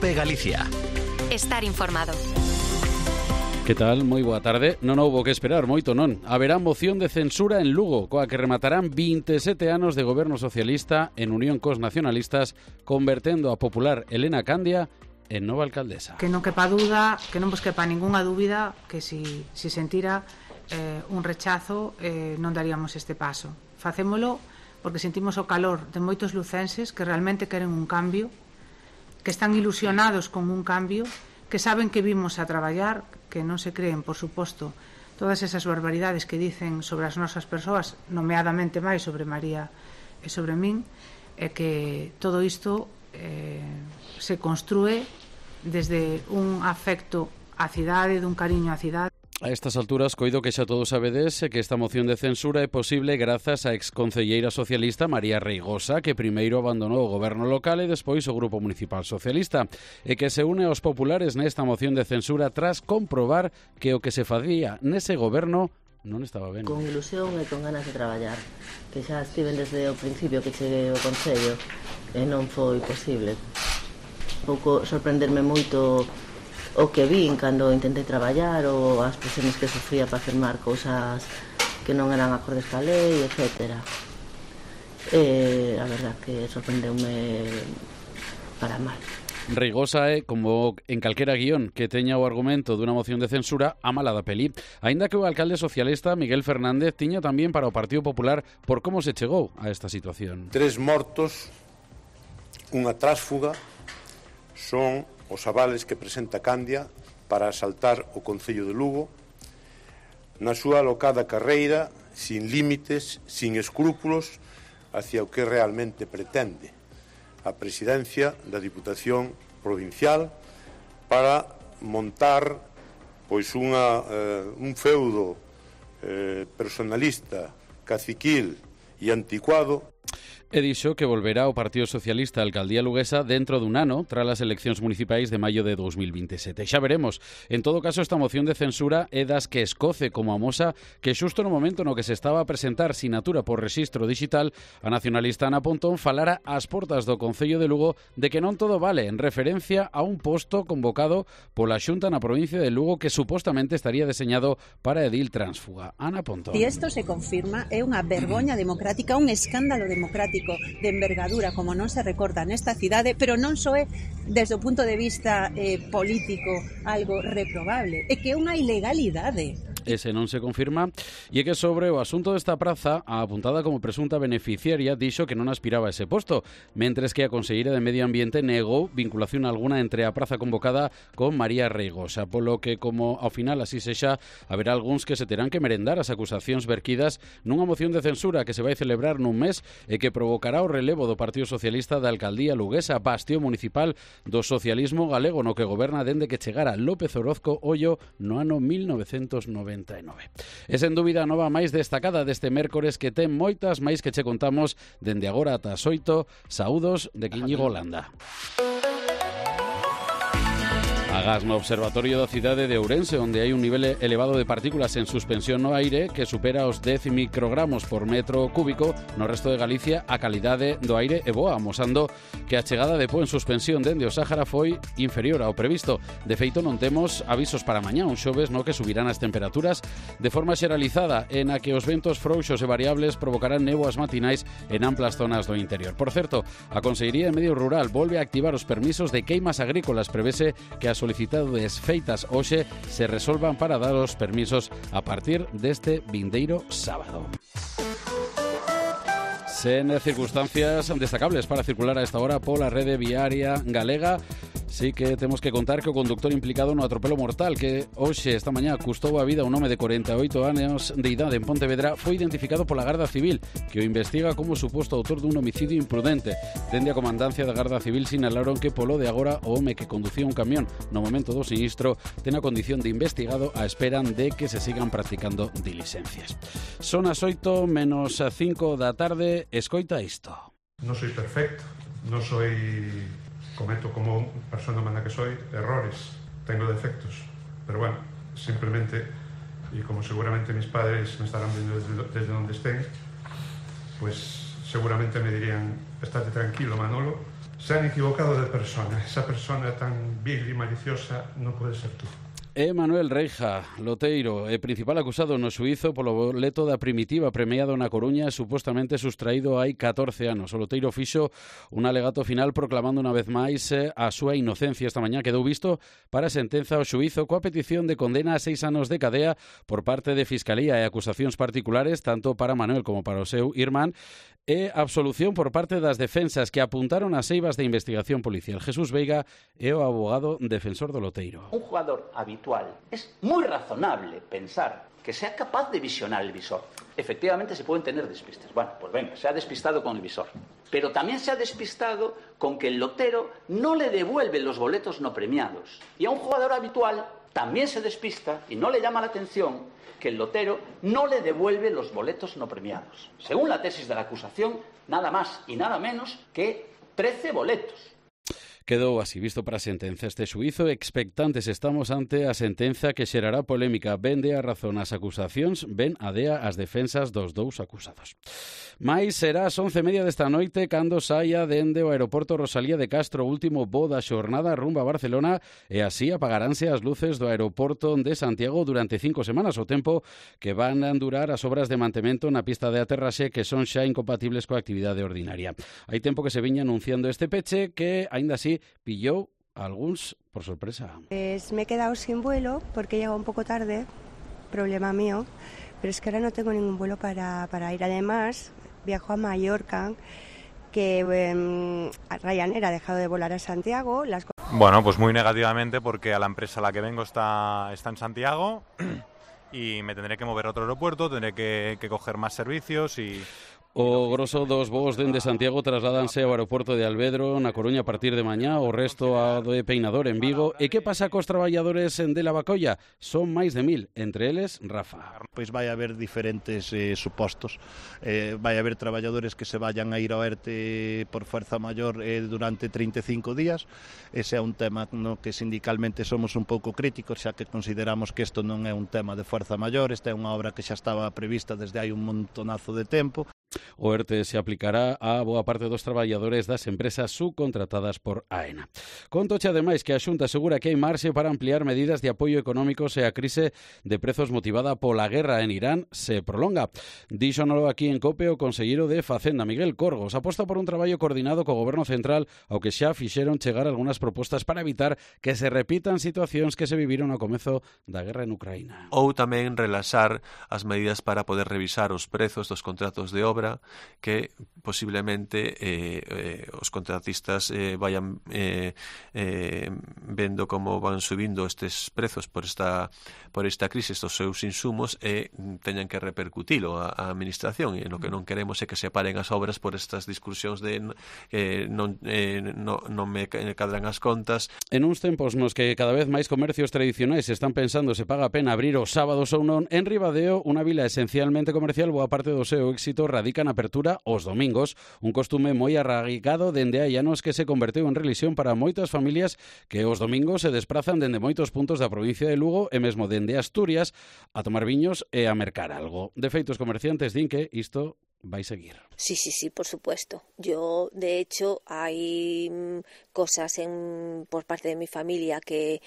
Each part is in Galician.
COPE Galicia. Estar informado. Que tal? Moi boa tarde. Non houbo que esperar moito, non. Haberá moción de censura en Lugo, coa que rematarán 27 anos de goberno socialista en unión cos nacionalistas, convertendo a popular Elena Candia en nova alcaldesa. Que non quepa dúda, que non vos quepa ningunha dúbida que si sentira un rechazo non daríamos este paso. Facémolo porque sentimos o calor de moitos lucenses que realmente queren un cambio, que están ilusionados con un cambio, que saben que vimos a traballar, que non se creen, por suposto, todas esas barbaridades que dicen sobre as nosas persoas, nomeadamente máis sobre María e sobre min, e que todo isto se construe desde un afecto á cidade, dun cariño á cidade. A estas alturas, coido que xa todos sabedes que esta moción de censura é posible grazas á exconcelleira socialista María Reigosa, que primeiro abandonou o goberno local e despois o Grupo Municipal Socialista, e que se une aos populares nesta moción de censura tras comprobar que o que se facía nese goberno non estaba ben. Con ilusión e con ganas de traballar, que xa estiven desde o principio que cheguei ao Concello e non foi posible. Un pouco sorprenderme moito o que vin cando intentei traballar ou as presións que sufría para firmar cousas que non eran acordes ca lei, etc. A verdad que sorprendeume para mal. Reigosa é, como en calquera guión que teña o argumento dunha moción de censura, a mala da peli. Aínda que o alcalde socialista Miguel Fernández tiña tamén para o Partido Popular por como se chegou a esta situación. 3 mortos, unha trásfuga, son os avales que presenta Candia para asaltar o Concello de Lugo na súa alocada carreira, sin límites, sin escrúpulos, hacia o que realmente pretende a presidencia da Diputación Provincial para montar pois un feudo personalista, caciquil e anticuado. E dixo que volverá o Partido Socialista á alcaldía luguesa dentro dun ano tras as eleccións municipais de maio de 2027. Xa veremos. En todo caso, esta moción de censura é das que escoce como a mosa que xusto no momento no que se estaba a presentar sinatura por rexistro digital, a nacionalista Ana Pontón falara ás portas do Concello de Lugo de que non todo vale, en referencia a un posto convocado pola Xunta na provincia de Lugo que supostamente estaría deseñado para edil tránsfuga. Ana Pontón. Si isto se confirma, é unha vergoña democrática, un escándalo democrático de envergadura como non se recorda nesta cidade, pero non só é desde o punto de vista político algo reprobable, é que é unha ilegalidade. Ese non se confirma, e é que sobre o asunto desta praza, a apuntada como presunta beneficiaria dixo que non aspiraba a ese posto, mentres que a conselleira de Medio Ambiente negou vinculación alguna entre a praza convocada con María Reigosa, polo que, como ao final así sexa, haberá algúns que se terán que merendar as acusacións verquidas nunha moción de censura que se vai celebrar nun mes e que provocará o relevo do Partido Socialista da Alcaldía Luguesa, bastión municipal do socialismo galego no que goberna dende que chegara López Orozco Ollo no ano 1999. É sen dúbida a nova máis destacada deste mércores que ten moitas máis que che contamos dende agora ata as 8. Saúdos de Íñigo Landa. Agás no Observatorio da cidade de Ourense, onde hai un nivel elevado de partículas en suspensión no aire que supera os 10 microgramos por metro cúbico. No resto de Galicia a calidade do aire é boa, amosando que a chegada de pó en suspensión dende o Sáhara foi inferior ao previsto. De feito, non temos avisos para mañá, un xoves no que subirán as temperaturas de forma xeralizada, en a que os ventos frouxos e variables provocarán néboas matinais en amplas zonas do interior. Por certo, a Consellería de Medio Rural volve a activar os permisos de queimas agrícolas. Prevese que as solicitadas feitas hoxe se resolvan para dar os permisos a partir deste vindeiro sábado. Sen circunstancias destacables para circular a esta hora pola rede viaria galega, sí que temos que contar que o conductor implicado no atropelo mortal que hoxe, esta mañá, custou a vida a un home de 48 anos de idade en Pontevedra foi identificado pola Garda Civil, que o investiga como suposto autor dun homicidio imprudente. Dende a comandancia da Garda Civil sinalaron que polo de agora o home que conducía un camión no momento do sinistro ten a condición de investigado a esperan de que se sigan practicando diligencias. Son as 8 menos 5 da tarde. Escoita isto. Non soy perfecto, non soy... cometo como persona humana que soy errores, tengo defectos, pero bueno, simplemente, y como seguramente mis padres me estarán viendo desde donde estén, pues seguramente me dirían, estate tranquilo Manolo, Se han equivocado de persona. Esa persona tan vil y maliciosa no puede ser tú. Manuel Reija, loteiro, principal acusado no suízo polo boleto da Primitiva premiado na Coruña, supostamente sustraído hai 14 anos. O loteiro fixo un alegato final proclamando unha vez máis a súa inocencia. Esta mañá quedou visto para a sentenza ao xuízo coa petición de condena a 6 anos de cadea por parte de Fiscalía e acusacións particulares tanto para Manuel como para o seu irmán e absolución por parte das defensas que apuntaron as eivas de investigación policial. Jesús Veiga é o abogado defensor do loteiro. Un jugador habitual es muy razonable pensar que sea capaz de visionar el visor. Efectivamente se pueden tener despistes. Bueno, pues venga, se ha despistado con el visor. Pero también se ha despistado con que el lotero no le devuelve los boletos no premiados. Y a un jugador habitual también se despista y no le llama la atención que el lotero no le devuelve los boletos no premiados. Según la tesis de la acusación, nada más y nada menos que 13 boletos. Quedou así visto para a sentenza. Este xuízo, expectantes estamos ante a sentenza que xerará polémica. Ben de a razón as acusacións, ben a dea as defensas dos dous acusados. Mais será ás 11:30 desta noite cando saia dende o aeroporto Rosalía de Castro, o último voo da xornada rumbo a Barcelona, e así apagaránse as luces do aeroporto de Santiago durante 5 semanas, o tempo que van a durar as obras de mantemento na pista de aterraxe que son xa incompatibles coa actividade ordinaria. Hai tempo que se viña anunciando este peche que, aínda así, pillou a algúns por sorpresa. Pues me he quedado sin vuelo porque he llegado un poco tarde, problema mío, pero es que ahora no tengo ningún vuelo para ir. Además, viajo a Mallorca, que Ryanair ha dejado de volar a Santiago. Bueno, pues muy negativamente porque a la empresa a la que vengo está en Santiago y me tendré que mover a otro aeropuerto, tendré que coger más servicios y... O grosso dos voos dende Santiago trasládanse ao aeroporto de Alvedro na Coruña a partir de mañá, o resto ao de Peinador en Vigo. E que pasa cos traballadores de La Bacolla? Son máis de 1000, entre eles Rafa. Pois vai haber diferentes supostos. Vai haber traballadores que se vayan a ir ao ERTE por fuerza maior durante 35 días. Ese é un tema no que sindicalmente somos un pouco críticos, xa que consideramos que isto non é un tema de fuerza maior, esta é unha obra que xa estaba prevista desde hai un montonazo de tempo. O ERTE se aplicará a boa parte dos traballadores das empresas subcontratadas por AENA. Contoche ademais que a Xunta asegura que hai marxe para ampliar medidas de apoio económico se a crise de prezos motivada pola guerra en Irán se prolonga. Díxonolo aquí en COPE o conselleiro de Facenda, Miguel Corgos, aposta por un traballo coordinado co Goberno Central ao que xa fixeron chegar algunhas propostas para evitar que se repitan situacións que se viviron ao comezo da guerra en Ucraína. Ou tamén relaxar as medidas para poder revisar os prezos dos contratos de obra que posiblemente os contratistas vayan vendo como van subindo estes prezos por esta crise, estes seus insumos e teñan que repercutilo a administración, e o que non queremos é que se paren as obras por estas discusións de non me cadran as contas. En uns tempos nos que cada vez máis comercios tradicionais están pensando se paga a pena abrir os sábados ou non, en Ribadeo, unha vila esencialmente comercial, boa parte do seu éxito radica na apertura os domingos, un costume moi arraigado dende hai anos que se converteu en relixión para moitas familias que os domingos se desprazan dende moitos puntos da provincia de Lugo e mesmo dende Asturias a tomar viños e a mercar algo. De feito, os comerciantes din que isto vai seguir. Sí, por supuesto. Yo, de hecho, hay cosas por parte de mi familia que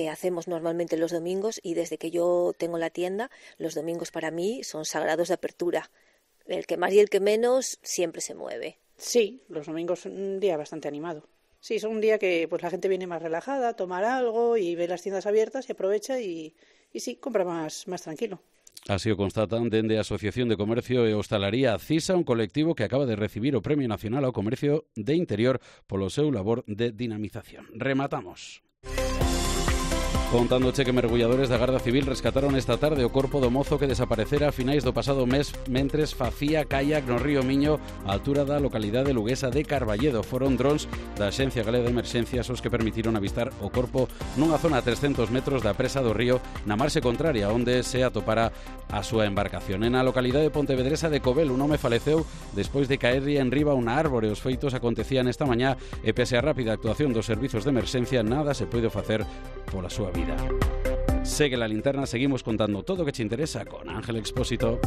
hacemos normalmente los domingos, y desde que yo tengo la tienda, los domingos para mí son sagrados de apertura. El que más y el que menos siempre se mueve. Sí, los domingos son un día bastante animado. Sí, son un día que pues la gente viene más relajada a tomar algo y ve las tiendas abiertas y aprovecha y sí, compra más tranquilo. Así o constatan dende a Asociación de Comercio e Hostalaría CISA, un colectivo que acaba de recibir o Premio Nacional ao Comercio de Interior polo seu labor de dinamización. Rematamos. Contándoche que mergulladores da Garda Civil rescataron esta tarde o corpo do mozo que desaparecera a finais do pasado mes mentres facía kayak no río Miño á altura da localidade luguesa de Carballedo. Foron drons da Axencia Galega de Emerxencias os que permitiron avistar o corpo nunha zona a 300 metros da presa do río na marxe contraria onde se atopara a súa embarcación. En a localidade pontevedresa de Cobel un home faleceu despois de caerlle en riba unha árbore. Os feitos acontecían esta mañá e pese á rápida actuación dos servizos de emerxencia nada se pode facer pola súa vida. Segue la linterna, seguimos contando todo o que te interesa con Ángel Expósito.